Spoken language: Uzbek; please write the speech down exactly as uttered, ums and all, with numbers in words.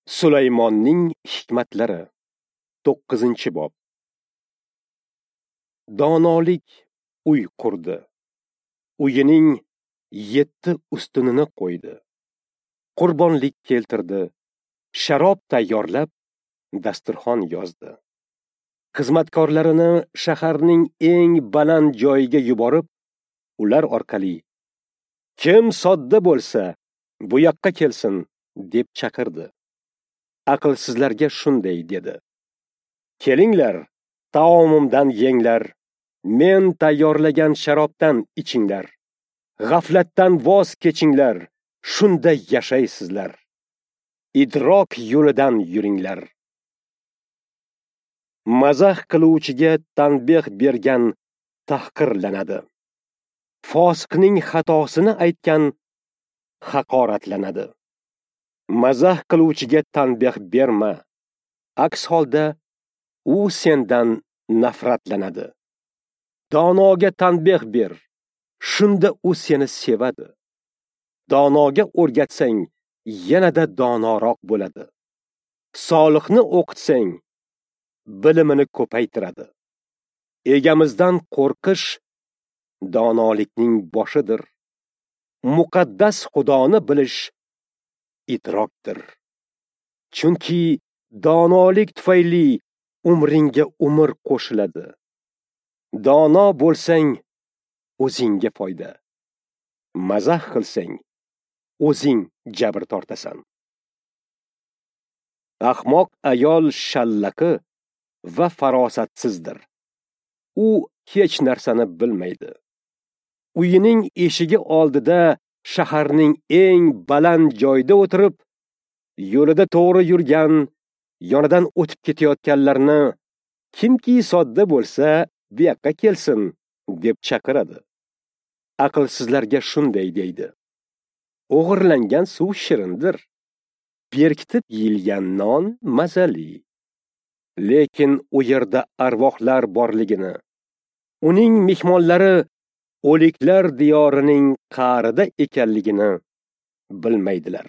Sulaymonning hikmatlari, to'qqizinchi bob. Donolik uy qurdi. Uyining yetti ustunini qo'ydi. Qurbonlik keltirdi. Sharob tayyorlab, dasturxon yozdi. Xizmatkorlarini shaharning eng baland joyiga yuborib, ular orqali kim sodda bo'lsa, bu yoqqa kelsin, deb chaqirdi. Aqlsizlarga shunday dedi: Kelinglar, taomimdan yenglar, men tayyorlagan sharobdan ichinglar. G'aflatdan voz kechinglar, shunda yashaysizlar. Idrok yo'lidan yuringlar. Mazax qiluvchiga tanbeh bergan tahqirlanadi. Fosiqning xatosini aytgan haqoratlanadi. Mazax qiluvchiga tanbeh berma, aks holda u sendan nafratlanadi. Donoga tanbeh ber, shunda u seni sevadi. Donoga o'rgatsang, yanada donoroq bo'ladi. Solihni o'qitsang, bilimini ko'paytiradi. Egamizdan qo'rqish donolikning boshidir. Muqaddas Xudoni bilish idrokdir. Chunki donolik tufayli umringga umr qo'shiladi. Dono bo'lsang, o'zingga foyda. Mazax qilsang, o'zing jabr tortasan. Ahmoq ayol shallaqi va farosatsizdir. U hech narsani bilmaydi. Uyining eshigi oldida shaharning eng baland joyida o'tirib, yo'lida to'g'ri yurgan, yonidan o'tib ketayotganlarni kimki sodda bo'lsa, bu yoqqa kelsin, deb chaqiradi. Aqlsizlarga shunday deydi: O'g'irlangan suv shirindir, berkitib yeyilgan non mazali. Lekin u yerda arvohlar borligini, uning mehmonlari o'liklar diyorining qa'rida ekanligini bilmaydilar.